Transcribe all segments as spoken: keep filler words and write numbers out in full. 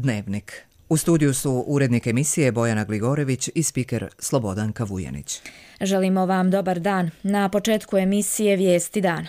Dnevnik. U studiju su urednik emisije Bojana Gligorević i spiker Slobodanka Vujanić. Želimo vam dobar dan. Na početku emisije Vijesti dana.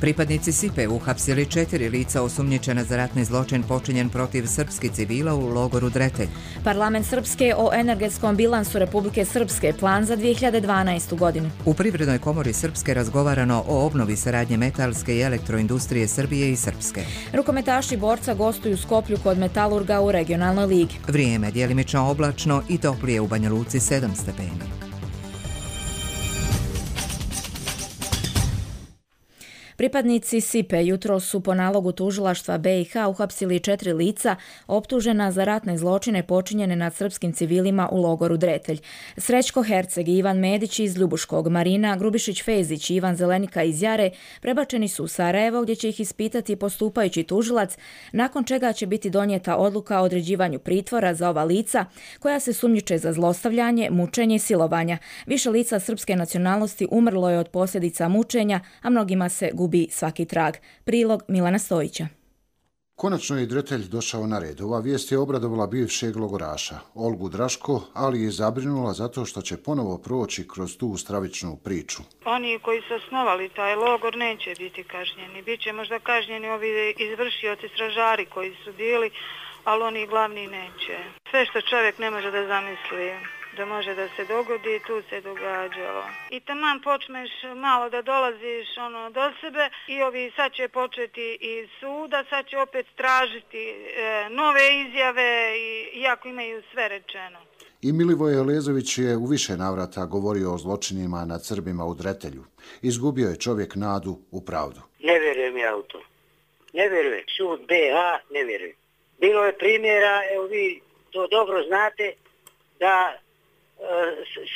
Pripadnici S I P E uhapsili četiri lica osumnjičena za ratni zločin počinjen protiv srpskih civila u logoru Dretelj. Parlament Srpske o energetskom bilansu Republike Srpske, plan za dvije hiljade dvanaestu. godinu. U Privrednoj komori Srpske razgovarano o obnovi saradnje metalske i elektroindustrije Srbije i Srpske. Rukometaši borca gostuju u Skoplju kod Metalurga u regionalnoj ligi. Vrijeme djelimično oblačno i toplije u Banja Luci sedam stepeni. Pripadnici S I P E jutro su po nalogu tužilaštva B i H uhapsili četiri lica optužena za ratne zločine počinjene nad srpskim civilima u logoru Dretelj. Srećko Herceg i Ivan Medić iz Ljubuškog, Marina Grubišić-Fezić i Ivan Zelenika iz Jare prebačeni su u Sarajevo gdje će ih ispitati postupajući tužilac, nakon čega će biti donijeta odluka o određivanju pritvora za ova lica koja se sumnjiče za zlostavljanje, mučenje i silovanja. Više lica srpske nacionalnosti umrlo je od posljedica mučenja, a mnogima se gubi gubi svaki trag. Prilog Milana Stojića. Konačno je Dretelj došao na red. Ova vijest je obradovala bivšeg logoraša, Olgu Draško, ali je zabrinula zato što će ponovo proći kroz tu stravičnu priču. Oni koji su osnovali taj logor neće biti kažnjeni. Biće možda kažnjeni ovi izvršioci, stražari koji su bili, ali oni glavni neće. Sve što čovjek ne može da zamisli da može da se dogodi, tu se događalo. I taman počneš malo da dolaziš ono do sebe i ovi sad će početi iz suda, sad će opet tražiti e, nove izjave, i, iako imaju sve rečeno. I Milivoje Lezović je u više navrata govorio o zločinima nad Srbima u Dretelju. Izgubio je čovjek nadu u pravdu. Ne vjerujem ja u to. Ne vjerujem. Sud B H ne vjerujem. Bilo je primjera, evo vi to dobro znate, da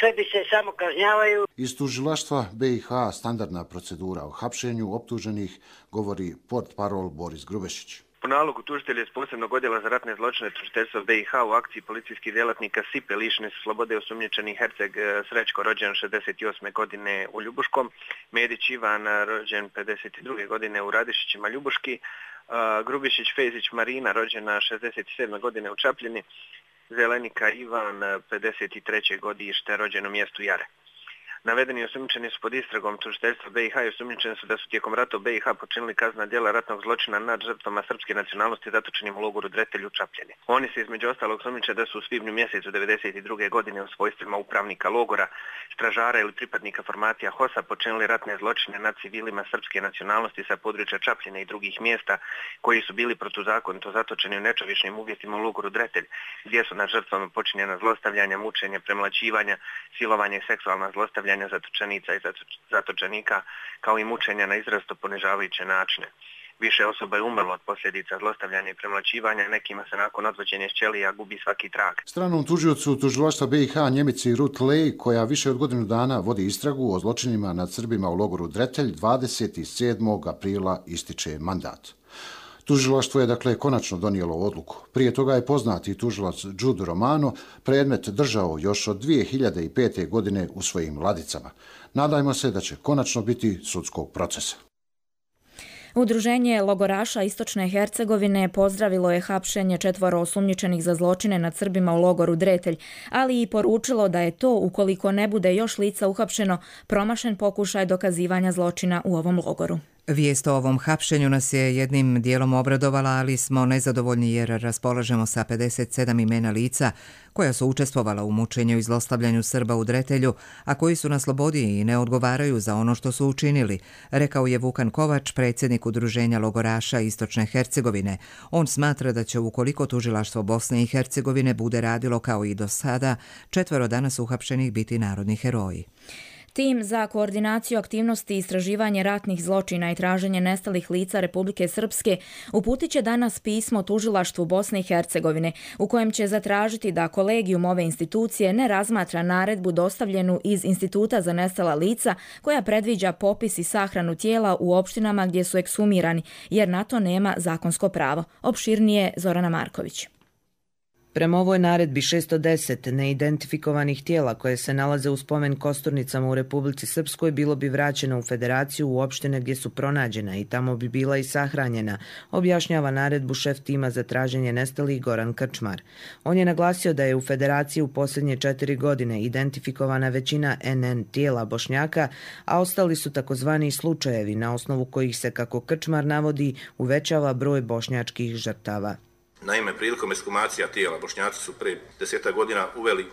Srbi se samo kažnjavaju. Iz tužilaštva B i H standardna procedura o hapšenju optuženih, govori portparol Boris Grubešić. Po nalogu tužitelja iz posebnog odjela za ratne zločine tužiteljstva B i H u akciji policijskih djelatnika S I P E lišeni su slobode osumnjičeni Herceg Srećko, rođen šezdeset osme godine u Ljubuškom, Medić Ivan, rođen pedeset druge godine u Radišićima Ljubuški, Grubišić Fezić Marina, rođena šezdeset sedme godine u Čapljini, Zelenika Ivan, pedeset treće godište, rođen u mjestu Jare. Navedeni osumnjičeni su pod istragom tužiteljstva B i H i osumnjičeni su da su tijekom rata u B i H počinili kaznena djela ratnog zločina nad žrtvama srpske nacionalnosti zatočenim u logoru Dretelj u Čapljini. Oni se između ostalog osumnjiče da su u svibnju mjesecu devedeset druge godine u svojstvima upravnika logora, stražara ili pripadnika formacija H O S-a počinili ratne zločine nad civilima srpske nacionalnosti sa područja Čapljine i drugih mjesta koji su bili protuzakonito zatočeni u nečovječnim uvjetima u logoru Dretelj, gdje su nad žrtvama počinjena zlostavljanja, mučenje, premlaćivanja, silovanje i seksualna zlostavljanja zatočenica i zatočenika, kao i mučenja na izrazito ponižavajuće načine. Više osoba je umrlo od posljedica zlostavljanja i premlaćivanja, nekima se nakon odvođenja iz ćelija gubi svaki trag. Stranom tužiocu tužilaštva B i H Njemici Ruth Lej, koja više od godinu dana vodi istragu o zločinima nad Srbima u logoru Dretelj, dvadeset sedmog aprila ističe mandat. Tužilaštvo je dakle konačno donijelo odluku. Prije toga je poznati tužilac Jude Romano predmet držao još od dvije hiljade pete. godine u svojim ladicama. Nadajmo se da će konačno biti sudskog procesa. Udruženje logoraša Istočne Hercegovine pozdravilo je hapšenje četvoro osumnjičenih za zločine nad Srbima u logoru Dretelj, ali i poručilo da je to, ukoliko ne bude još lica uhapšeno, promašen pokušaj dokazivanja zločina u ovom logoru. Vijest o ovom hapšenju nas je jednim dijelom obradovala, ali smo nezadovoljni jer raspolažemo sa pedeset sedam imena lica koja su učestvovala u mučenju i zlostavljanju Srba u Dretelju, a koji su na slobodi i ne odgovaraju za ono što su učinili, rekao je Vukan Kovač, predsjednik Udruženja logoraša Istočne Hercegovine. On smatra da će, ukoliko tužilaštvo Bosne i Hercegovine bude radilo kao i do sada, četvero danas uhapšenih biti narodni heroji. Tim za koordinaciju aktivnosti i istraživanje ratnih zločina i traženje nestalih lica Republike Srpske uputit će danas pismo tužilaštvu Bosne i Hercegovine u kojem će zatražiti da kolegijum ove institucije ne razmatra naredbu dostavljenu iz Instituta za nestala lica koja predviđa popis i sahranu tijela u opštinama gdje su ekshumirani, jer na to nema zakonsko pravo. Opširnije Zorana Marković. Prema ovoj naredbi šesto deset neidentifikovanih tijela koje se nalaze u spomen kosturnicama u Republici Srpskoj bilo bi vraćeno u Federaciju u opštine gdje su pronađena i tamo bi bila i sahranjena, objašnjava naredbu šef tima za traženje nestalih Goran Krčmar. On je naglasio da je u Federaciji u posljednje četiri godine identifikovana većina en en tijela Bošnjaka, a ostali su takozvani slučajevi na osnovu kojih se, kako Krčmar navodi, uvećava broj bošnjačkih žrtava. Naime, prilikom ekshumacija tijela Bošnjaci su pre deseta godina uveli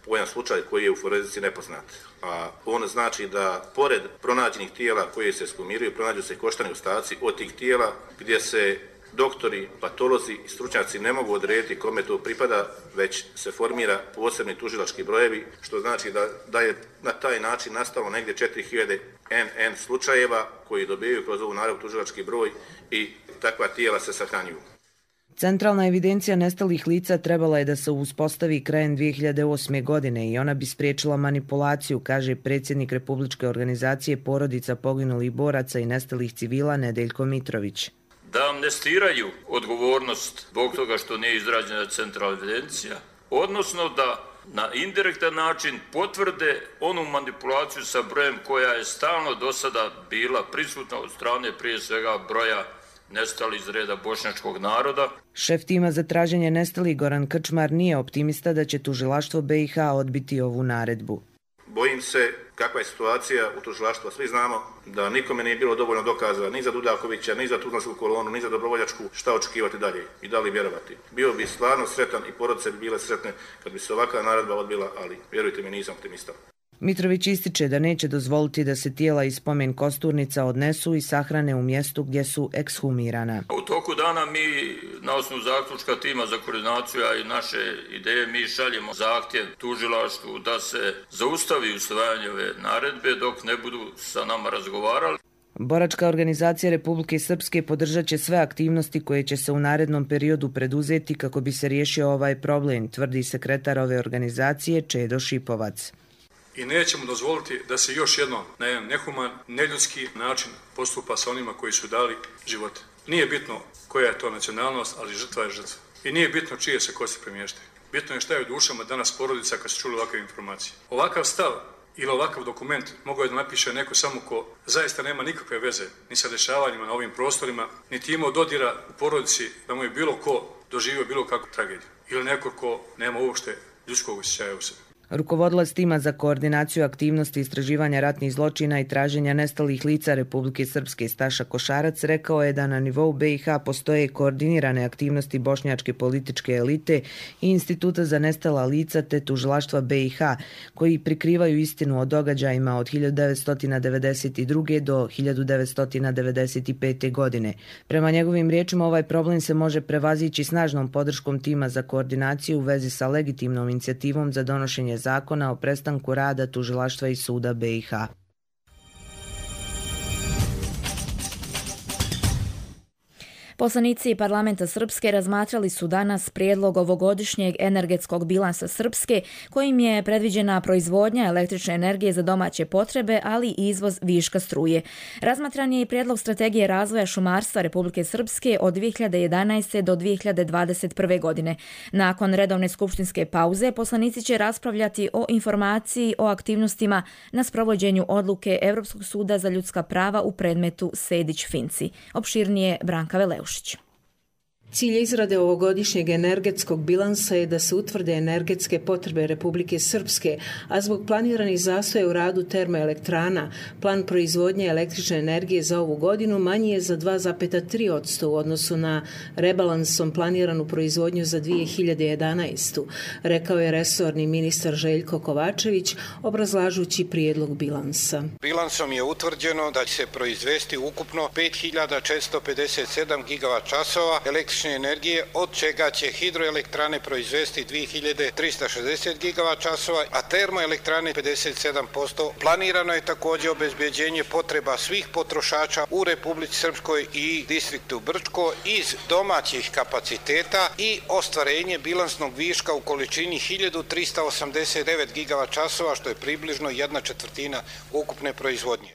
pojam slučaj koji je u forenzici nepoznat. A on znači da pored pronađenih tijela koje se ekshumiraju, pronađu se koštani ostaci od tih tijela gdje se doktori, patolozi i stručnjaci ne mogu odrediti kome to pripada, već se formira posebni tužilački brojevi, što znači da, da je na taj način nastalo negdje četiri hiljade en en slučajeva koji dobijaju kroz ovu naredbu tužilački broj i takva tijela se sahranjuju. Centralna evidencija nestalih lica trebala je da se uspostavi krajem dvije hiljade osme. godine i ona bi spriječila manipulaciju, kaže predsjednik Republičke organizacije porodica poginulih boraca i nestalih civila Nedeljko Mitrović. Da amnestiraju odgovornost zbog toga što nije izrađena centralna evidencija, odnosno da na indirektan način potvrde onu manipulaciju sa brojem koja je stalno do sada bila prisutna od strane prije svega broja nestali iz reda bošnjačkog naroda. Šef tima za traženje nestalih Goran Krčmar nije optimista da će tužilaštvo be i ha odbiti ovu naredbu. Bojim se kakva je situacija u tužilaštvu. Svi znamo da nikome nije bilo dovoljno dokaza ni za Dudakovića, ni za Tuzlansku kolonu, ni za Dobrovoljačku, šta očekivati dalje i da li vjerovati. Bio bi stvarno sretan i porodice bi bile sretne kad bi se ovakva naredba odbila, ali vjerujte mi, nisam optimista. Mitrović ističe da neće dozvoliti da se tijela iz spomen kosturnica odnesu i sahrane u mjestu gdje su ekshumirana. U toku dana mi, na osnovu zaključka tima za koordinaciju, a i naše ideje, mi šaljemo zahtjev tužilaštvu da se zaustavi usvajanje ove naredbe dok ne budu sa nama razgovarali. Boračka organizacija Republike Srpske podržat će sve aktivnosti koje će se u narednom periodu preduzeti kako bi se riješio ovaj problem, tvrdi sekretar ove organizacije Čedo Šipovac. I nećemo dozvoliti da se još jednom na jedan nehuman, neljudski način postupa sa onima koji su dali živote. Nije bitno koja je to nacionalnost, ali žrtva je žrtva. I nije bitno čije se kosti premještaju. Bitno je šta je u dušama danas porodica kad su čuli ovakve informacije. Ovakav stav ili ovakav dokument mogao je da napiše neko samo ko zaista nema nikakve veze ni sa dešavanjima na ovim prostorima, niti imao dodira u porodici da mu je bilo ko doživio bilo kakvu tragediju. Ili neko ko nema uopšte ljudskog osjećaja u sebi. Rukovodilac tima za koordinaciju aktivnosti istraživanja ratnih zločina i traženja nestalih lica Republike Srpske Staša Košarac rekao je da na nivou be i ha postoje koordinirane aktivnosti bošnjačke političke elite i Instituta za nestala lica te tužilaštva be i ha koji prikrivaju istinu o događajima od hiljadu devetsto devedeset druge. do hiljadu devetsto devedeset pete. godine. Prema njegovim riječima ovaj problem se može prevazići snažnom podrškom tima za koordinaciju u vezi sa legitimnom inicijativom za donošenje zakona o prestanku rada tužilaštva i suda be i ha. Poslanici parlamenta Srpske razmatrali su danas prijedlog ovogodišnjeg energetskog bilansa Srpske, kojim je predviđena proizvodnja električne energije za domaće potrebe, ali i izvoz viška struje. Razmatran je i prijedlog strategije razvoja šumarstva Republike Srpske od dvije hiljade jedanaeste. do dvije hiljade dvadeset prve. godine. Nakon redovne skupštinske pauze, poslanici će raspravljati o informaciji o aktivnostima na sprovođenju odluke Evropskog suda za ljudska prava u predmetu Sejdić-Finci. Opširnije Branka Veleuš. Cilj izrade ovogodišnjeg energetskog bilansa je da se utvrde energetske potrebe Republike Srpske, a zbog planiranih zastoja u radu termoelektrana, plan proizvodnje električne energije za ovu godinu manji je za dva zarez tri posto u odnosu na rebalansom planiranu proizvodnju za dvije hiljade jedanaestu. Rekao je resorni ministar Željko Kovačević, obrazlažući prijedlog bilansa. Bilansom je utvrđeno da će se proizvesti ukupno pet hiljada četiristo pedeset sedam gigavat časova električne energije, od čega će hidroelektrane proizvesti dvije hiljade trista šezdeset gigavat časova, a termoelektrane pedeset sedam posto. Planirano je također obezbeđenje potreba svih potrošača u Republici Srpskoj i distriktu Brčko iz domaćih kapaciteta i ostvarenje bilansnog viška u količini hiljadu trista osamdeset devet gigavat časova, što je približno jedna četvrtina ukupne proizvodnje.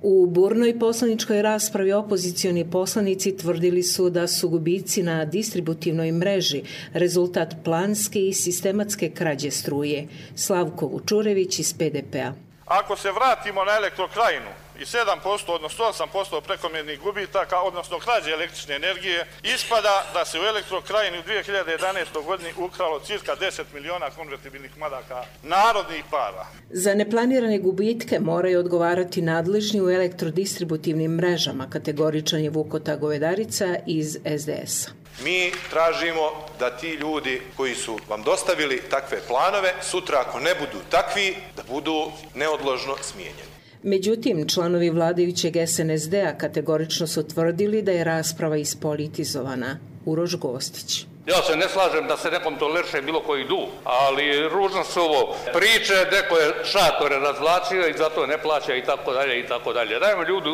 U burnoj poslaničkoj raspravi opozicioni poslanici tvrdili su da su gubici na distributivnoj mreži rezultat planske i sistematske krađe struje. Slavko Vučurević iz P D P-a. Ako se vratimo na Elektrokrajinu i sedam posto, odnosno osam posto prekomjernih gubitaka, odnosno krađe električne energije, ispada da se u Elektrokrajini u dvije hiljade jedanaestoj godini ukralo cirka deset miliona konvertibilnih maraka narodnih para. Za neplanirane gubitke moraju odgovarati nadležni u elektrodistributivnim mrežama, kategoričan je Vuko Govedarica iz S D S-a. Mi tražimo da ti ljudi koji su vam dostavili takve planove, sutra ako ne budu takvi, da budu neodložno smijenjeni. Međutim, članovi vladajućeg S N S D-a kategorično su tvrdili da je rasprava ispolitizovana. Uroš Gostić. Ja se ne slažem da se nekom toleriše bilo koji dug, ali ružno su ovo priče, neko je šatore razvlačio i zato ne plaća i tako dalje i tako dalje. Dajmo ljudi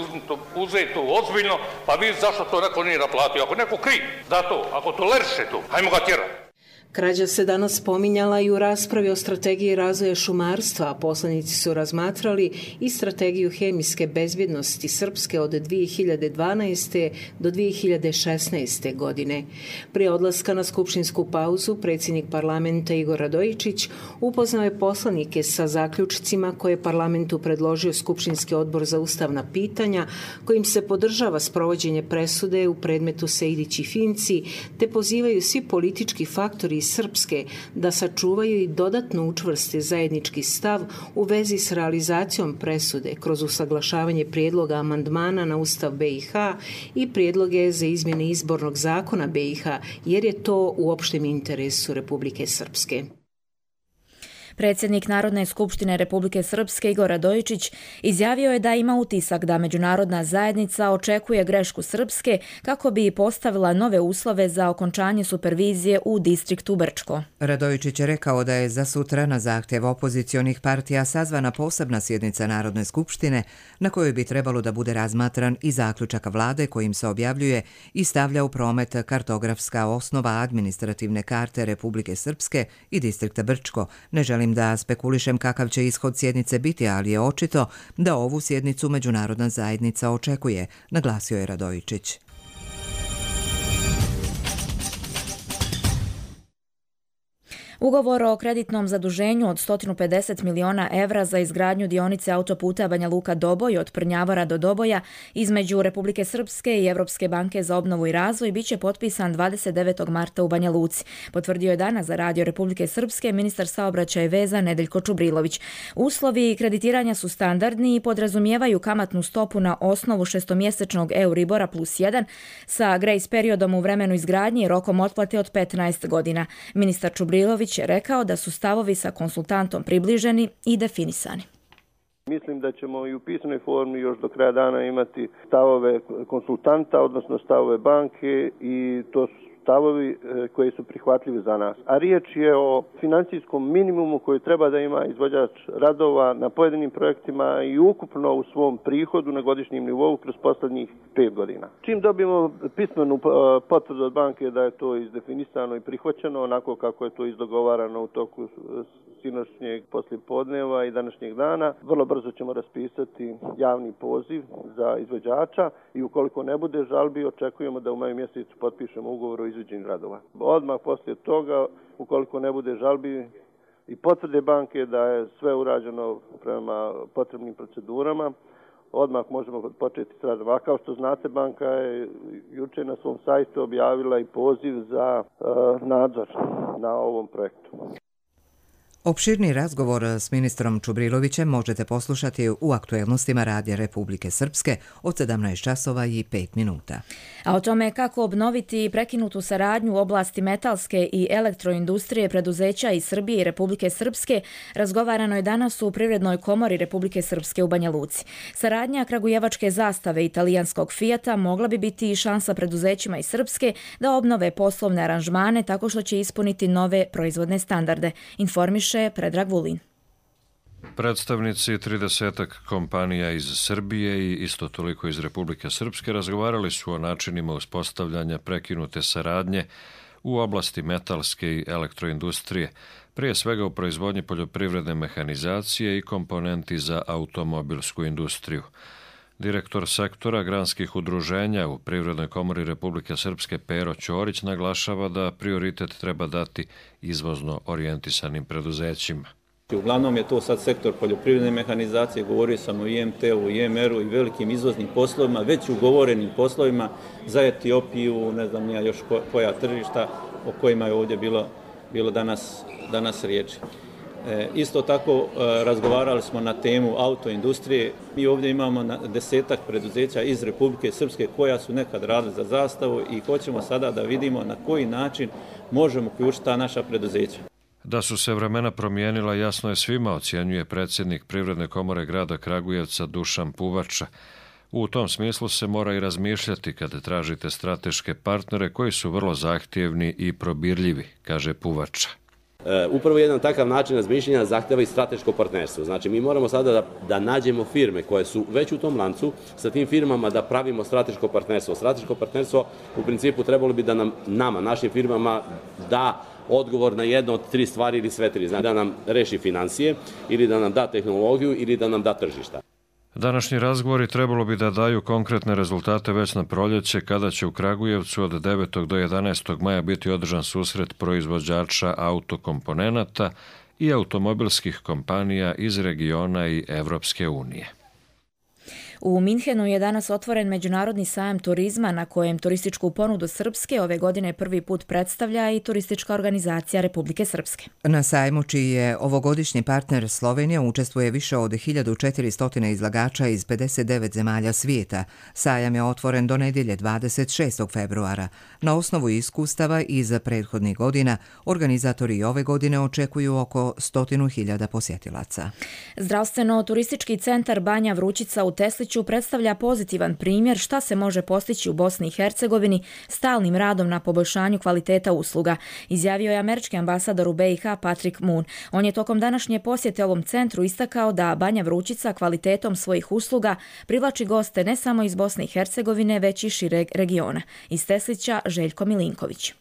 uzeti to ozbiljno, pa vidjeti zašto to neko nije naplatio. Ako neko kriv za to, ako toleriše to, hajmo ga tjerati. Krađa se danas spominjala i u raspravi o strategiji razvoja šumarstva, a poslanici su razmatrali i strategiju hemijske bezbjednosti Srpske od dvije hiljade dvanaeste. do dvije hiljade šesnaeste. godine. Prije odlaska na skupštinsku pauzu, predsjednik parlamenta Igor Radojičić upoznao je poslanike sa zaključcima koje je parlamentu predložio Skupštinski odbor za ustavna pitanja, kojim se podržava sprovođenje presude u predmetu Sejdić i Finci, te pozivaju svi politički faktori Srpske da sačuvaju i dodatno učvrste zajednički stav u vezi s realizacijom presude kroz usaglašavanje prijedloga amandmana na Ustav B i H i prijedloge za izmjene izbornog zakona B i H, jer je to u opštem interesu Republike Srpske. Predsjednik Narodne skupštine Republike Srpske Igor Radojičić izjavio je da ima utisak da međunarodna zajednica očekuje grešku Srpske kako bi postavila nove uslove za okončanje supervizije u distriktu Brčko. Radojičić je rekao da je za sutra na zahtjev opozicionih partija sazvana posebna sjednica Narodne skupštine na kojoj bi trebalo da bude razmatran i zaključak vlade kojim se objavljuje i stavlja u promet kartografska osnova administrativne karte Republike Srpske i distrikta Brčko. Ne želim da spekulišem kakav će ishod sjednice biti, ali je očito da ovu sjednicu međunarodna zajednica očekuje, naglasio je Radojičić. Ugovor o kreditnom zaduženju od sto pedeset miliona evra za izgradnju dionice autoputa Banja Luka-Doboj od Prnjavora do Doboja između Republike Srpske i Evropske banke za obnovu i razvoj biće potpisan dvadeset devetog marta u Banja Luci. Potvrdio je danas za Radio Republike Srpske ministar saobraćaja i veza Nedeljko Čubrilović. Uslovi kreditiranja su standardni i podrazumijevaju kamatnu stopu na osnovu šestomjesečnog Euribora plus jedan sa grace periodom u vremenu izgradnje i rokom otplate od petnaest godina. Ministar Čubrilović je rekao da su stavovi sa konsultantom približeni i definisani. Mislim da ćemo i u pisanoj formi još do kraja dana imati stavove konsultanta, odnosno stavove banke, i to su stavovi koji su prihvatljivi za nas. A riječ je o financijskom minimumu koji treba da ima izvođač radova na pojedinim projektima i ukupno u svom prihodu na godišnjem nivou kroz posljednjih pet godina. Čim dobijemo pismenu potvrdu od banke da je to izdefinisano i prihvaćeno onako kako je to izdogovarano u toku sinoćnjeg poslijepodneva i današnjeg dana, vrlo brzo ćemo raspisati javni poziv za izvođača i ukoliko ne bude žalbi, očekujemo da u maju mjesecu potpišemo ugovor o izvođenju radova. Odmah poslije toga, ukoliko ne bude žalbi i potvrde banke da je sve urađeno prema potrebnim procedurama, odmah možemo početi s radom. A kao što znate, banka je juče na svom sajtu objavila i poziv za uh, nadzor na ovom projektu. Opširni razgovor s ministrom Čubrilovićem možete poslušati u aktuelnostima Radija Republike Srpske od sedamnaest časova i pet minuta. A o tome kako obnoviti prekinutu saradnju u oblasti metalske i elektroindustrije preduzeća iz Srbije i Republike Srpske razgovarano je danas u Privrednoj komori Republike Srpske u Banja Luci. Saradnja kragujevačke zastave i italijanskog Fijata mogla bi biti i šansa preduzećima iz Srpske da obnove poslovne aranžmane tako što će ispuniti nove proizvodne standarde, informiše Predrag Vulin. Predstavnici tridesetak kompanija iz Srbije i isto toliko iz Republike Srpske razgovarali su o načinima uspostavljanja prekinute saradnje u oblasti metalske i elektroindustrije, prije svega u proizvodnji poljoprivredne mehanizacije i komponenti za automobilsku industriju. Direktor sektora granskih udruženja u Privrednoj komori Republike Srpske Pero Ćorić naglašava da prioritet treba dati izvozno orijentisanim preduzećima. Uglavnom je to sad sektor poljoprivredne mehanizacije, govorio sam o I M T-u, I M R-u i velikim izvoznim poslovima, već ugovorenim poslovima za Etiopiju, ne znam ja još koja tržišta o kojima je ovdje bilo, bilo danas, danas riječi. E, isto tako e, razgovarali smo na temu autoindustrije. Mi ovdje imamo na desetak preduzeća iz Republike Srpske koja su nekad radili za zastavu i hoćemo sada da vidimo na koji način možemo uključiti ta naša preduzeća. Da su se vremena promijenila jasno je svima, ocjenjuje predsjednik Privredne komore grada Kragujevca Dušan Puvača. U tom smislu se mora i razmišljati kada tražite strateške partnere koji su vrlo zahtjevni i probirljivi, kaže Puvača. Upravo jedan takav način razmišljanja zahtjeva i strateško partnerstvo. Znači mi moramo sada da, da nađemo firme koje su već u tom lancu, sa tim firmama da pravimo strateško partnerstvo. Strateško partnerstvo u principu trebalo bi da nam, nama, našim firmama da odgovor na jedno od tri stvari ili sve tri. Znači da nam reši financije ili da nam da tehnologiju ili da nam da tržišta. Današnji razgovori trebalo bi da daju konkretne rezultate već na proljeće, kada će u Kragujevcu od devetog do jedanaestog maja biti održan susret proizvođača autokomponenata i automobilskih kompanija iz regiona i Evropske unije. U Minhenu je danas otvoren Međunarodni sajam turizma na kojem turističku ponudu Srpske ove godine prvi put predstavlja i turistička organizacija Republike Srpske. Na sajmu, čiji je ovogodišnji partner Slovenija, učestvuje više od hiljadu četiristo izlagača iz pedeset devet zemalja svijeta. Sajam je otvoren do nedjelje dvadeset šestog februara. Na osnovu iskustava iz prethodnih godina, organizatori ove godine očekuju oko stotinu hiljada posjetilaca. Zdravstveno-turistički centar Banja Vrućica u Tesliću predstavlja pozitivan primjer šta se može postići u Bosni i Hercegovini stalnim radom na poboljšanju kvaliteta usluga, izjavio je američki ambasador u B i H Patrick Moon. On je tokom današnje posjete ovom centru istakao da Banja Vrućica kvalitetom svojih usluga privlači goste ne samo iz Bosne i Hercegovine, već i šireg regiona. Iz Teslića Željko Milinković.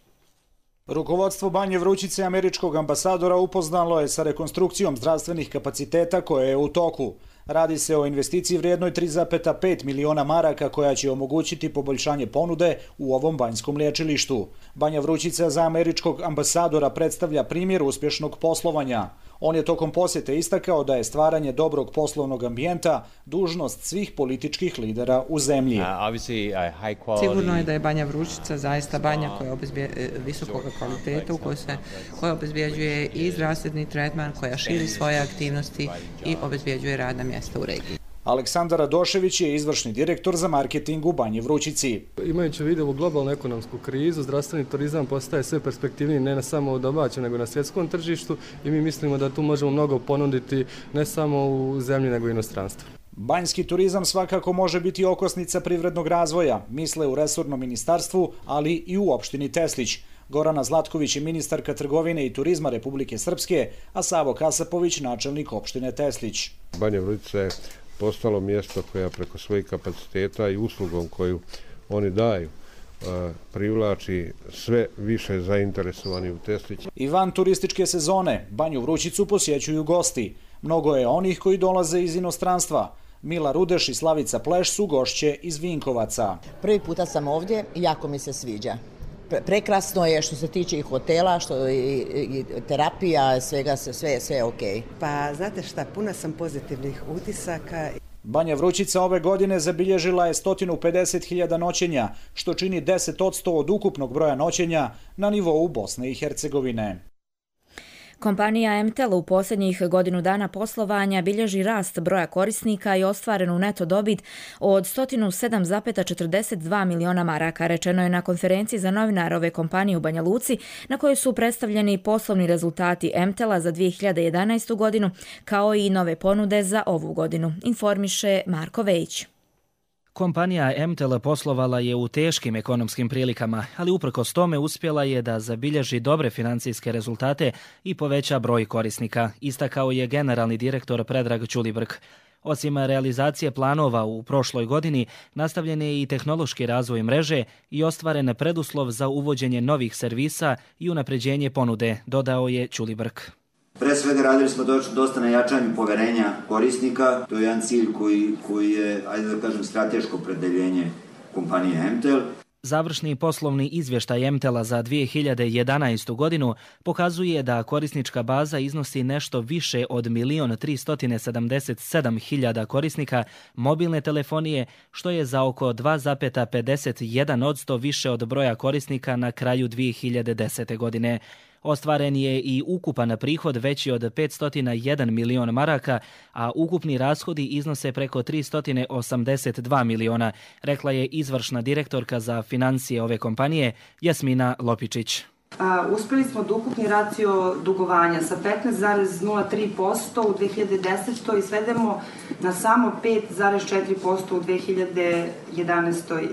Rukovodstvo Banje Vrućice američkog ambasadora upoznalo je sa rekonstrukcijom zdravstvenih kapaciteta koja je u toku. Radi se o investiciji vrijednoj tri zarez pet miliona maraka koja će omogućiti poboljšanje ponude u ovom banjskom liječilištu. Banja Vrućica za američkog ambasadora predstavlja primjer uspješnog poslovanja. On je tokom posjete istakao da je stvaranje dobrog poslovnog ambijenta dužnost svih političkih lidera u zemlji. Sigurno je da je Banja Vrućica zaista banja koja je visokog kvaliteta, u kojoj se koja obezbjeđuje i zdravstveni tretman, koja širi svoje aktivnosti i obezbjeđuje radna mjesta u regiji. Aleksandar Radošević je izvršni direktor za marketing u Banji Vrućici. Imajući u vidu globalnu ekonomsku krizu, zdravstveni turizam postaje sve perspektivniji ne samo u domaćem nego na svjetskom tržištu i mi mislimo da tu možemo mnogo ponuditi ne samo u zemlji nego i inostranstvu. Banjski turizam svakako može biti okosnica privrednog razvoja, misle u resornom ministarstvu, ali i u opštini Teslić. Gorana Zlatković je ministarka trgovine i turizma Republike Srpske, a Savo Kasapović načelnik opštine Teslić. Banja Vrućica je postalo mjesto koja preko svojih kapaciteta i uslugom koju oni daju privlači sve više zainteresovani u Teslić. I van turističke sezone Banju Vrućicu posjećuju gosti. Mnogo je onih koji dolaze iz inostranstva. Mila Rudeš i Slavica Pleš su gošće iz Vinkovaca. Prvi puta sam ovdje i jako mi se sviđa. Prekrasno je što se tiče i hotela, što i, i terapija, svega, sve, sve je okej. Pa znate šta, puna sam pozitivnih utisaka. Banja Vrućica ove godine zabilježila je sto pedeset hiljada noćenja, što čini deset posto od ukupnog broja noćenja na nivou Bosne i Hercegovine. Kompanija M T E L u posljednjih godinu dana poslovanja bilježi rast broja korisnika i ostvarenu neto dobit od sto sedam zarez četrdeset dva miliona maraka, rečeno je na konferenciji za novinare ove kompanije u Banja Luci, na kojoj su predstavljeni poslovni rezultati M T E L-a za dvije hiljade jedanaestu godinu, kao i nove ponude za ovu godinu, informiše Marko Vejić. Kompanija M T E L poslovala je u teškim ekonomskim prilikama, ali uprkos tome uspjela je da zabilježi dobre financijske rezultate i poveća broj korisnika, istakao je generalni direktor Predrag Ćulibrk. Osim realizacije planova u prošloj godini, nastavljen je i tehnološki razvoj mreže i ostvaren preduslov za uvođenje novih servisa i unapređenje ponude, dodao je Ćulibrk. Pre svega radili smo dosta na jačanju poverenja korisnika, to je jedan cilj koji, koji je, ajde da kažem, strateško opredeljenje kompanije M T E L. Završni poslovni izvještaj M T E L-a za dvije hiljade jedanaestu godinu pokazuje da korisnička baza iznosi nešto više od milion tristo sedamdeset sedam hiljada korisnika mobilne telefonije, što je za oko dva zarez pedeset jedan posto više od broja korisnika na kraju dvije hiljade desete. godine. Ostvaren je i ukupan prihod veći od petsto jedan milion maraka, a ukupni rashodi iznose preko tristo osamdeset dva miliona, rekla je izvršna direktorka za financije ove kompanije Jasmina Lopičić. A, uspjeli smo da ukupni racio dugovanja sa petnaest zarez nula tri posto u dvije hiljade desete. i svedemo na samo pet zarez četiri posto u dvije hiljade jedanaestoj.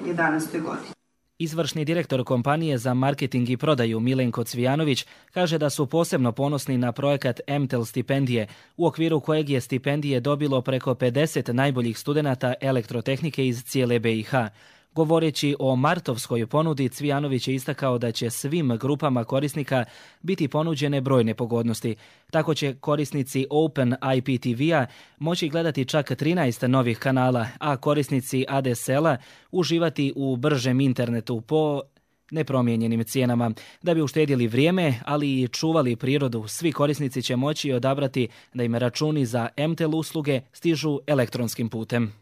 godini. Izvršni direktor kompanije za marketing i prodaju Milenko Cvijanović kaže da su posebno ponosni na projekat M T E L stipendije, u okviru kojeg je stipendije dobilo preko pedeset najboljih studenata elektrotehnike iz cijele B i H. Govoreći o martovskoj ponudi, Cvijanović je istakao da će svim grupama korisnika biti ponuđene brojne pogodnosti. Tako će korisnici Open I P T V-a moći gledati čak trinaest novih kanala, a korisnici A D S L-a uživati u bržem internetu po nepromijenjenim cijenama. Da bi uštedjeli vrijeme, ali i čuvali prirodu, svi korisnici će moći odabrati da im računi za M T E L usluge stižu elektronskim putem.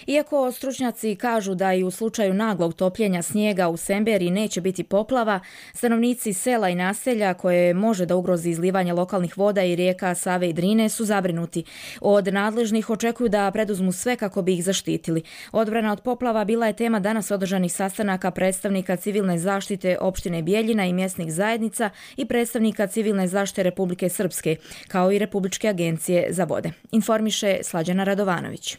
Iako stručnjaci kažu da i u slučaju naglog topljenja snijega u Semberiji neće biti poplava, stanovnici sela i naselja koje može da ugrozi izlivanje lokalnih voda i rijeka Save i Drine su zabrinuti. Od nadležnih očekuju da preduzmu sve kako bi ih zaštitili. Odbrana od poplava bila je tema danas održanih sastanaka predstavnika civilne zaštite opštine Bijeljina i mjesnih zajednica i predstavnika civilne zaštite Republike Srpske, kao i Republičke agencije za vode. Informiše Slađana Radovanović.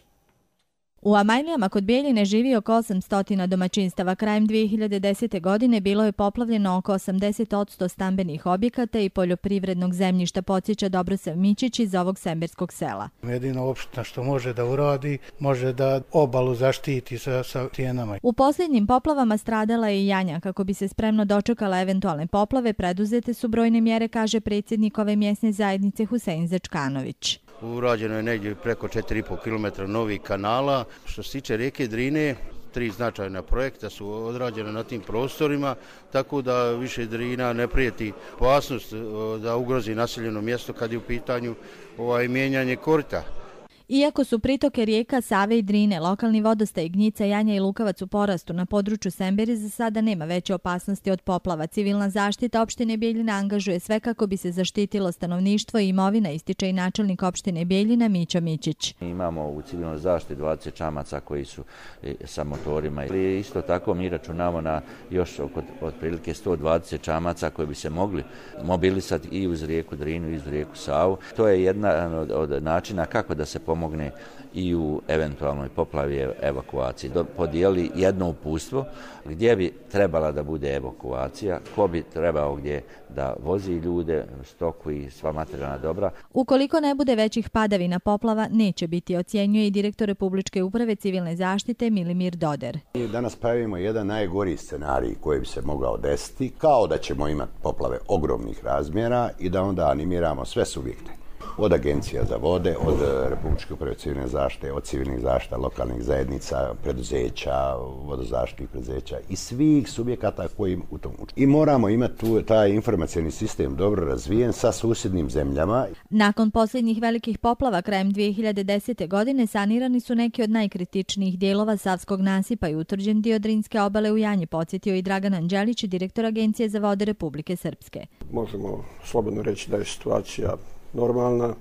U Amajlijama kod Bijeljine živi oko osamsto domaćinstava. Krajem dvije hiljade desete. godine bilo je poplavljeno oko osamdeset posto stambenih objekata i poljoprivrednog zemljišta, podsjeća Dobrosav Mićić iz ovog semberskog sela. Jedina opština što može da uradi, može da obalu zaštiti sa, sa tijenama. U posljednjim poplavama stradala je i Janja. Kako bi se spremno dočekala eventualne poplave, preduzete su brojne mjere, kaže predsjednik ove mjesne zajednice Husein Zečkanović. Urađeno je negdje preko četiri i po kilometra novih kanala. Što se tiče rijeke Drine, tri značajna projekta su odrađena na tim prostorima, tako da više Drina ne prijeti opasnost da ugrozi naseljeno mjesto kad je u pitanju ovaj mijenjanje korita. Iako su pritoke rijeka Save i Drine, lokalni vodostaj Gnjica, Janja i Lukavac u porastu, na području Semberije za sada nema veće opasnosti od poplava. Civilna zaštita opštine Bijeljina angažuje sve kako bi se zaštitilo stanovništvo i imovina, ističe i načelnik opštine Bijeljina Mićo Mićić. Imamo u civilnoj zaštiti dvadeset čamaca koji su sa motorima. Isto tako mi računamo na još oko otprilike sto dvadeset čamaca koji bi se mogli mobilisati i uz rijeku Drinu i uz rijeku Savu. To je jedna od, od načina kako da se pomogne i u eventualnoj poplavi evakuaciji. Podijeli jedno uputstvo gdje bi trebala da bude evakuacija, ko bi trebao gdje da vozi ljude, stoku i sva materijalna dobra. Ukoliko ne bude većih padavina, poplava neće biti, ocjenjuje i direktor Republičke uprave civilne zaštite Milimir Doder. Mi danas pravimo jedan najgori scenarij koji bi se mogao desiti, kao da ćemo imati poplave ogromnih razmjera i da onda animiramo sve subjekte. Od agencija za vode, od Republičke uprave civilne zaštite, od civilnih zaštita, lokalnih zajednica, preduzeća, vodozaštitnih preduzeća i svih subjekata koji u tom učestvuju. I moramo imati tu taj informacijski sistem dobro razvijen sa susjednim zemljama. Nakon posljednjih velikih poplava krajem dvije hiljade desete. godine sanirani su neki od najkritičnijih dijelova Savskog nasipa i utvrđen dio Drinske obale u Janji, podsjetio i Dragan Anđelić, direktor Agencije za vode Republike Srpske. Možemo slobodno reći da je situacija normalna,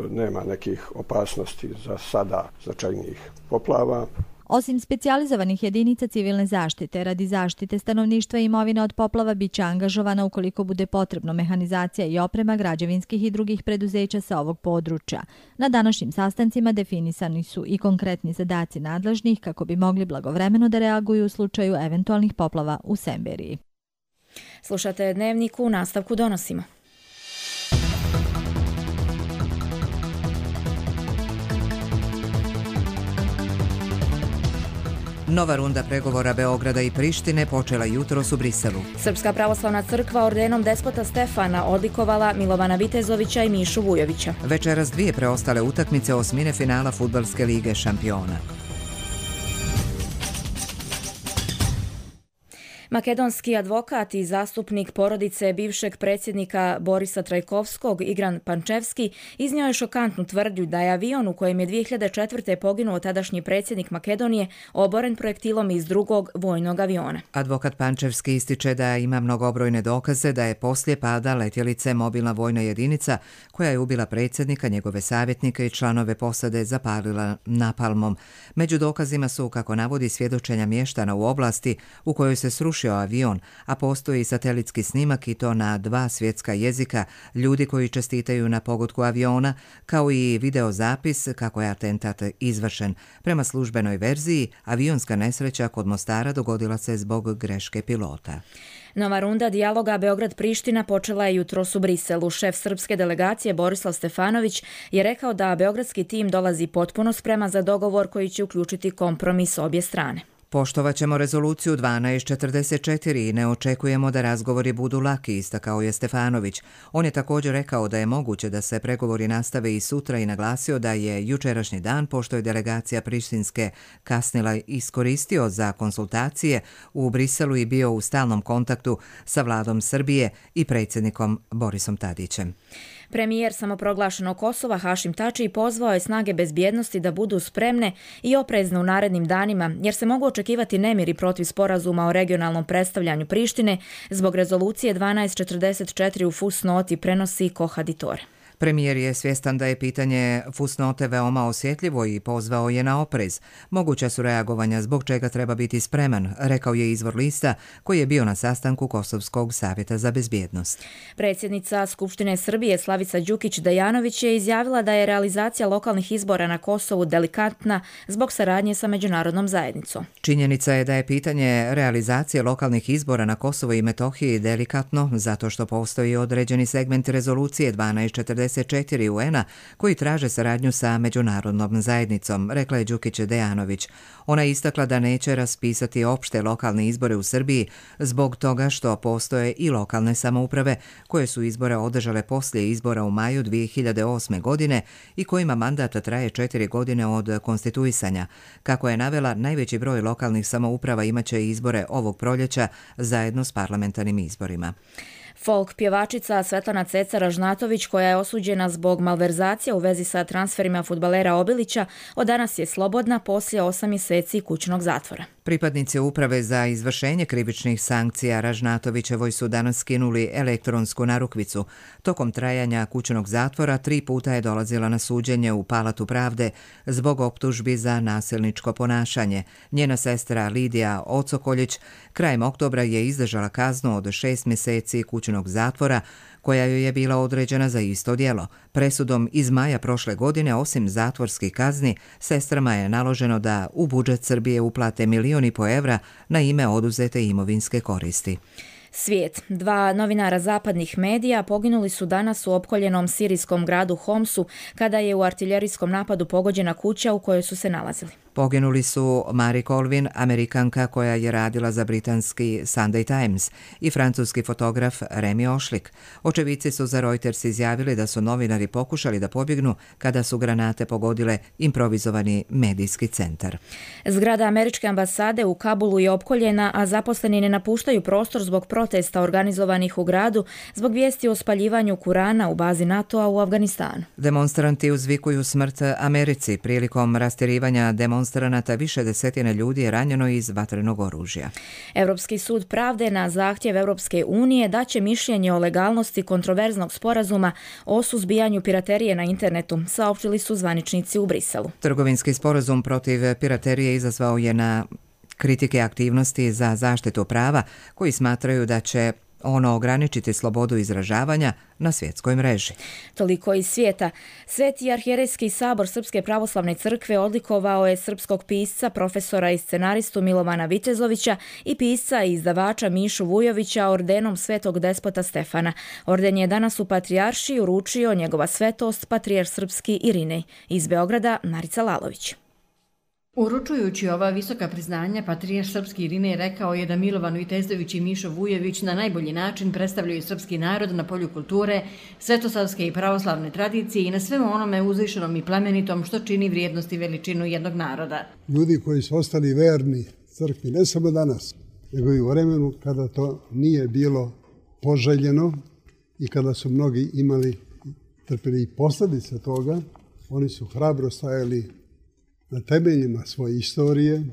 nema nekih opasnosti za sada značajnijih poplava. Osim specijalizovanih jedinica civilne zaštite, radi zaštite stanovništva i imovine od poplava biće angažovana ukoliko bude potrebno mehanizacija i oprema građevinskih i drugih preduzeća sa ovog područja. Na današnjim sastancima definisani su i konkretni zadaci nadležnih kako bi mogli blagovremeno da reaguju u slučaju eventualnih poplava u Semberiji. Slušate Dnevnik, u nastavku donosimo. Nova runda pregovora Beograda i Prištine počela jutros u Briselu. Srpska pravoslavna crkva ordenom despota Stefana odlikovala Milovana Vitezovića i Mišu Vujovića. Večeras dvije preostale utakmice osmine finala Fudbalske lige šampiona. Makedonski advokat i zastupnik porodice bivšeg predsjednika Borisa Trajkovskog, Igran Pančevski, iznio je šokantnu tvrdnju da je avion u kojem je dvije hiljade četvrte poginuo tadašnji predsjednik Makedonije oboren projektilom iz drugog vojnog aviona. Advokat Pančevski ističe da ima mnogobrojne dokaze da je poslije pada letjelice mobilna vojna jedinica koja je ubila predsjednika, njegove savjetnike i članove posade zapalila napalmom. Među dokazima su, kako navodi, svjedočenja mještana u oblasti u kojoj se srušio avion, a postoji satelitski snimak i to na dva svjetska jezika ljudi koji čestitaju na pogodku aviona, kao i videozapis kako je atentat izvršen. Prema službenoj verziji, avionska nesreća kod Mostara dogodila se zbog greške pilota. Nova runda dijaloga Beograd-Priština počela je jutros u Briselu. Šef srpske delegacije Borislav Stefanović je rekao da beogradski tim dolazi potpuno spreman za dogovor koji će uključiti kompromis obje strane. Poštovat ćemo rezoluciju dvanaest četrdeset četiri i ne očekujemo da razgovori budu laki, istakao je Stefanović. On je također rekao da je moguće da se pregovori nastave i sutra i naglasio da je jučerašnji dan, pošto je delegacija prištinske kasnila, iskoristio za konsultacije u Briselu i bio u stalnom kontaktu sa vladom Srbije i predsjednikom Borisom Tadićem. Premijer samoproglašenog Kosova Hašim Tači pozvao je snage bezbjednosti da budu spremne i oprezne u narednim danima, jer se mogu očekivati nemiri protiv sporazuma o regionalnom predstavljanju Prištine zbog rezolucije dvanaest četrdeset četiri u fusnoti, prenosi Kohaditore. Premijer je svjestan da je pitanje fusnote veoma osjetljivo i pozvao je na oprez. Moguća su reagovanja zbog čega treba biti spreman, rekao je izvor lista koji je bio na sastanku Kosovskog savjeta za bezbjednost. Predsjednica Skupštine Srbije Slavica Đukić-Dejanović je izjavila da je realizacija lokalnih izbora na Kosovu delikatna zbog saradnje sa međunarodnom zajednicom. Činjenica je da je pitanje realizacije lokalnih izbora na Kosovo i Metohiji delikatno zato što postoji određeni segment rezolucije dvanaest četrdeset četiri U N-a koji traže saradnju sa međunarodnom zajednicom, rekla je Đukić-Dejanović. Ona je istakla da neće raspisati opšte lokalne izbore u Srbiji zbog toga što postoje i lokalne samouprave koje su izbore održale poslije izbora u maju dvije hiljade osme. godine i kojima mandat traje četiri godine od konstituisanja. Kako je navela, najveći broj lokalnih samouprava imaće izbore ovog proljeća zajedno s parlamentarnim izborima. Folk pjevačica Svetlana Ceca Ražnatović, koja je osuđena zbog malverzacija u vezi sa transferima fudbalera Obilića, od danas je slobodna poslije osam mjeseci kućnog zatvora. Pripadnici Uprave za izvršenje krivičnih sankcija Ražnatovićevoj su danas skinuli elektronsku narukvicu. Tokom trajanja kućnog zatvora tri puta je dolazila na suđenje u Palatu pravde zbog optužbi za nasilničko ponašanje. Njena sestra Lidija Ocokoljić krajem oktobra je izdržala kaznu od šest mjeseci kućnog zatvora koja joj je bila određena za isto djelo. Presudom iz maja prošle godine, osim zatvorskih kazni, sestrama je naloženo da u budžet Srbije uplate milijon i po evra na ime oduzete imovinske koristi. Svijet. Dva novinara zapadnih medija poginuli su danas u opkoljenom sirijskom gradu Homsu kada je u artiljerijskom napadu pogođena kuća u kojoj su se nalazili. Poginuli su Mari Colvin, Amerikanka koja je radila za britanski Sunday Times, i francuski fotograf Remi Ošlik. Očevici su za Reuters izjavili da su novinari pokušali da pobjegnu kada su granate pogodile improvizovani medijski centar. Zgrada američke ambasade u Kabulu je opkoljena, a zaposleni ne napuštaju prostor zbog protesta organizovanih u gradu zbog vijesti o spaljivanju Kurana u bazi NATO-a u Afganistanu. Demonstranti uzvikuju smrt Americi. Prilikom rastjerivanja demonstranata više desetine ljudi je ranjeno iz vatrenog oružja. Europski sud pravde na zahtjev Europske unije daće mišljenje o legalnosti kontroverznog sporazuma o suzbijanju piraterije na internetu, saopštili su zvaničnici u Briselu. Trgovinski sporazum protiv piraterije izazvao je na kritike aktivnosti za zaštitu prava koji smatraju da će ono ograničiti slobodu izražavanja na svjetskoj mreži. Toliko iz svijeta. Sveti arhijerejski sabor Srpske pravoslavne crkve odlikovao je srpskog pisca, profesora i scenaristu Milovana Vitezovića i pisca i izdavača Mišu Vujovića ordenom svetog despota Stefana. Orden je danas u Patrijaršiji uručio njegova svetost patrijarh srpski Irinej. Iz Beograda Marica Lalović. Uručujući ova visoka priznanja, patrijarh srpski Irinej rekao je da Milovan Vitezović i Mišo Vujović na najbolji način predstavljaju srpski narod na polju kulture, svetosavske i pravoslavne tradicije i na svemu onome uzvišenom i plemenitom što čini vrijednost i veličinu jednog naroda. Ljudi koji su ostali verni crkvi, ne samo danas, nego i u vremenu kada to nije bilo poželjeno i kada su mnogi imali trpili i posljedice toga, oni su hrabro stajali na temeljima svoje istorije,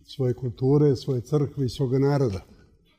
svoje kulture, svoje crkve i svoga naroda.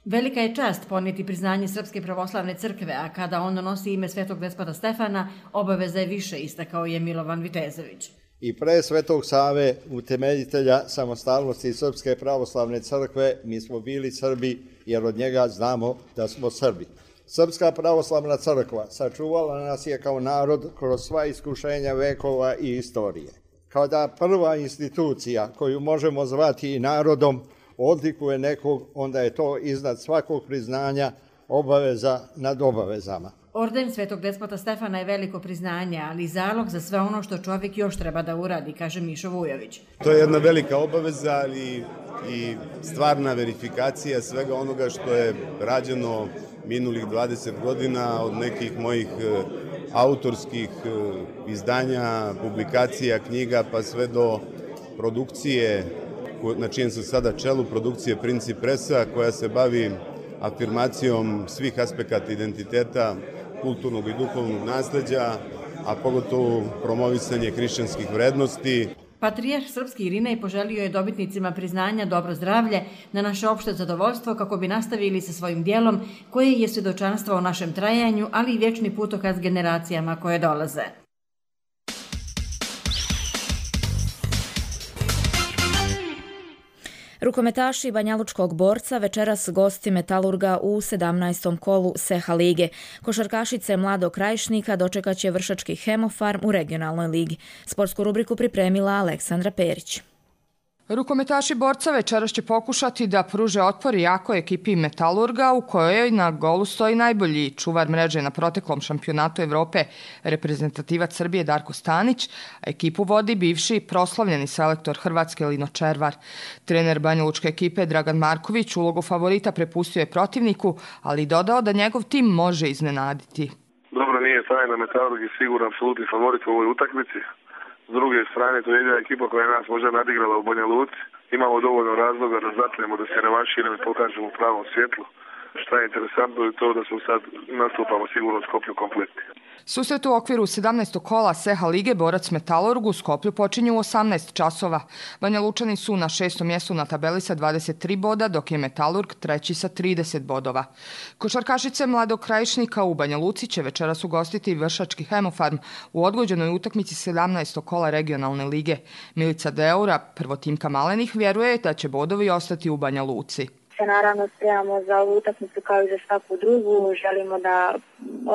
Velika je čast ponijeti priznanje Srpske pravoslavne crkve, a kada ono nosi ime svetog despota Stefana, obaveza je više, istakao je Milovan Vitezović. I pre Svetog Save, utemeljitelja samostalnosti Srpske pravoslavne crkve, mi smo bili Srbi jer od njega znamo da smo Srbi. Srpska pravoslavna crkva sačuvala nas je kao narod kroz sva iskušenja vekova i istorije. Kao da prva institucija koju možemo zvati i narodom odlikuje nekog, onda je to iznad svakog priznanja obaveza nad obavezama. Orden svetog despota Stefana je veliko priznanje, ali i zalog za sve ono što čovjek još treba da uradi, kaže Mišo Vujović. To je jedna velika obaveza, ali i stvarna verifikacija svega onoga što je rađeno minulih dvadeset godina od nekih mojih autorskih izdanja, publikacija, knjiga, pa sve do produkcije, na čijem sam sada čelu, produkcije Princip Presa, koja se bavi afirmacijom svih aspekata identiteta, kulturnog i duhovnog nasleđa, a pogotovo promovisanje hrišćanskih vrednosti. Patrijarh srpski Irinej poželio je dobitnicima priznanja dobro zdravlje na naše opšte zadovoljstvo kako bi nastavili sa svojim dijelom koje je svjedočanstvo o našem trajanju, ali i vječni putokaz generacijama koje dolaze. Rukometaši banjalučkog Borca večeras gosti Metalurga u sedamnaestom kolu Seha lige. Košarkašice Mladog Krajišnika dočekat će Vršački Hemofarm u regionalnoj ligi. Sportsku rubriku pripremila Aleksandra Perić. Rukometaši Borca večeras će pokušati da pruže otpor jakoj ekipi Metalurga u kojoj na golu stoji najbolji čuvar mreže na proteklom šampionatu Evrope, reprezentativac Srbije Darko Stanić, a ekipu vodi bivši proslavljeni selektor Hrvatske Lino Červar. Trener banjalučke ekipe Dragan Marković ulogu favorita prepustio je protivniku, ali dodao da njegov tim može iznenaditi. Dobro, nije tajna, Metalurg je siguran apsolutni favorit u ovoj utakmici. S druge strane, to je jedina ekipa koja je nas možda nadigrala u Banja Luci. Imamo dovoljno razloga da zatremo, da se revanširamo i pokažemo u pravom svjetlu. Šta je interesantno je to da smo sad nastupamo sigurno u Skoplju kompletni. Susret u okviru sedamnaestog kola Seha lige Borac Metalurg u Skoplju počinju u osamnaest časova. Banja Lučani su na šestom mjestu na tabeli sa dvadeset tri boda, dok je Metalurg treći sa trideset bodova. Košarkašice Mladog Krajišnika u Banja Luci će večeras ugostiti Vršački Hemofarm u odgođenoj utakmici sedamnaestog kola regionalne lige. Milica Deura, prvotimka Malenih, vjeruje da će bodovi ostati u Banja Luci. Naravno spremamo za ovu utakmicu kao i za svaku drugu, želimo da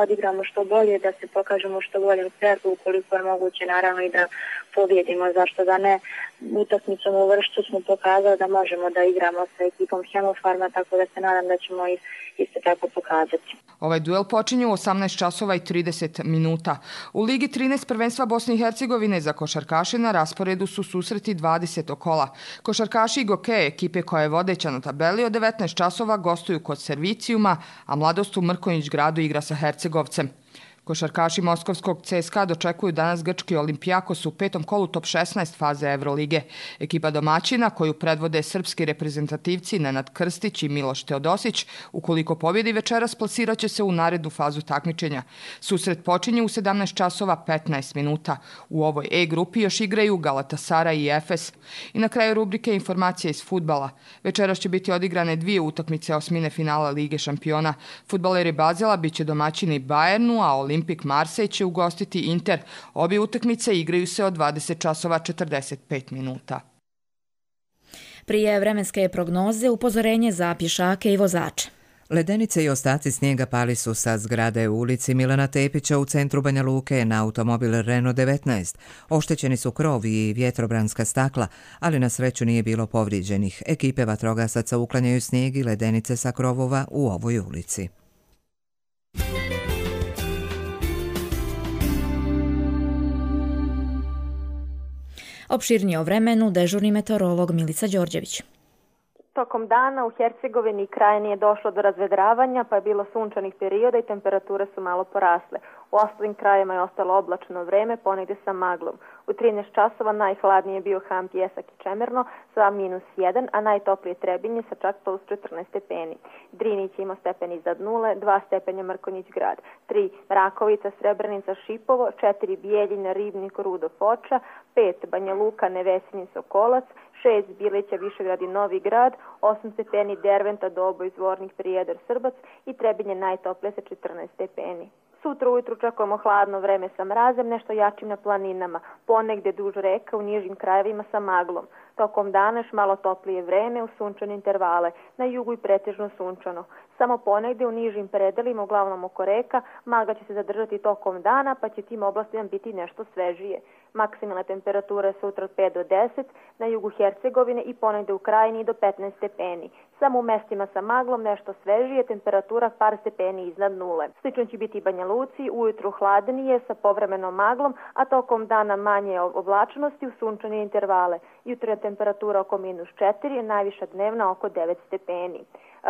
odigramo što bolje, da se pokažemo što boljem svetu, ukoliko je moguće naravno i da pobjedimo, zašto da ne. Utakmicom u Vršcu smo pokazali da možemo da igramo sa ekipom Hemofarma, tako da se nadam da ćemo ih isto tako pokazati. Ovaj duel počinje u osamnaest časova i trideset minuta. U Ligi trinaest prvenstva Bosne i Hercegovine za košarkaše na rasporedu su susreti dvadesetog kola. Košarkaši Gokeje, ekipe koja je vodeća na tabeli, od devetnaest časova gostuju kod Servicijuma, a Mladost u Mrkonjić gradu igra sa Hercegovcem. Košarkaši Moskovskog C S K A dočekuju danas grčki Olimpijakos u petom kolu top šesnaest faze Evrolige. Ekipa domaćina, koju predvode srpski reprezentativci Nenad Krstić i Miloš Teodosić, ukoliko pobjedi večeras, plasirat će se u narednu fazu takmičenja. Susret počinje u sedamnaest časova petnaest minuta. U ovoj E grupi još igraju Galatasaray i Efes. I na kraju rubrike informacije iz fudbala. Večeras će biti odigrane dvije utakmice osmine finala Lige šampiona. Fudbaleri Bazela biće domaćini Bayernu, a Olimpijak Olimpik Marsej će ugostiti Inter. Obje utakmice igraju se od dvadeset časova četrdeset pet minuta. Prije vremenske prognoze upozorenje za pješake i vozače. Ledenice i ostaci snijega pali su sa zgrade u ulici Milana Tepića u centru Banja Luke na automobil Renault devetnaest. Oštećeni su krov i vjetrobranska stakla, ali na sreću nije bilo povrijeđenih. Ekipe vatrogasaca uklanjaju snijeg i ledenice sa krovova u ovoj ulici. Opširnije o vremenu dežurni meteorolog Milica Đorđević. Tokom dana u Hercegovini i krajini je došlo do razvedravanja, pa je bilo sunčanih perioda i temperature su malo porasle. U ostalim krajima je ostalo oblačno vreme, ponegdje sa maglom. U trinaest časova najhladnije je bio Ham, Pjesak i Čemerno sa minus jedan, a najtoplije Trebinje sa čak plus četrnaest stepeni. Drinić ima stepen iznad nule, dva stepenja Mrkonjić grad, tri Rakovica, Srebrenica, Šipovo, četiri Bijeljina, Ribnik, Rudo, Foča, pet Banja Luka, Nevesinje, Sokolac, šest Bilića, Višegrad i Novi grad, osam stepeni Derventa, Doboj, Zvornik, Prijedor, Srbac i Trebinje najtoplije sa četrnaest stepeni. Sutra ujutru čekujemo hladno vreme sa mrazem, nešto jačim na planinama, ponegdje duž reka u nižim krajevima sa maglom. Tokom dana još malo toplije vreme u sunčane intervale, na jugu i pretežno sunčano. Samo ponegdje u nižim predelima, uglavnom oko reka, magla će se zadržati tokom dana, pa će tim oblastima biti nešto svežije. Maksimalna temperatura sutra od pet do deset, na jugu Hercegovine i ponegdje u krajini do petnaest stepeni. Samo u mestima sa maglom nešto svežije, temperatura par stepeni iznad nule. Slično će biti i Banja Luci, ujutru hladnije sa povremenom maglom, a tokom dana manje oblačnosti u sunčane intervale. Jutra temperatura oko minus četiri, najviša dnevna oko devet stepeni.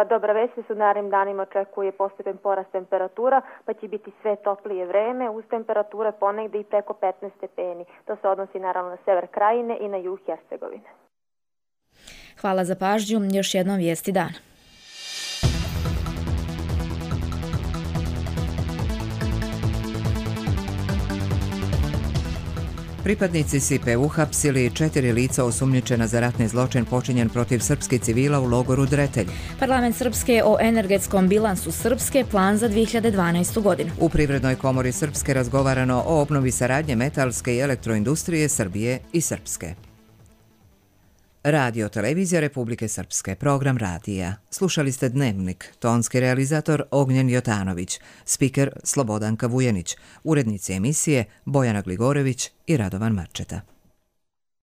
Dobra vest se u narednim danima očekuje postepen porast temperatura, pa će biti sve toplije vreme, uz temperature ponegde i preko petnaest stepeni. To se odnosi naravno na sever krajine i na jug Hercegovine. Hvala za pažnju, još jednom vijesti dana. Pripadnici S I P E uhapsili četiri lica osumnjičena za ratni zločin počinjen protiv srpskih civila u logoru Dretelj. Parlament Srpske o energetskom bilansu Srpske, plan za dvije hiljade dvanaestu. godinu. U Privrednoj komori Srpske razgovarano o obnovi saradnje metalske i elektroindustrije Srbije i Srpske. Radio Televizija Republike Srpske, program radija. Slušali ste Dnevnik, tonski realizator Ognjen Jotanović, spiker Slobodanka Vujenić, urednici emisije Bojana Gligorević i Radovan Marčeta.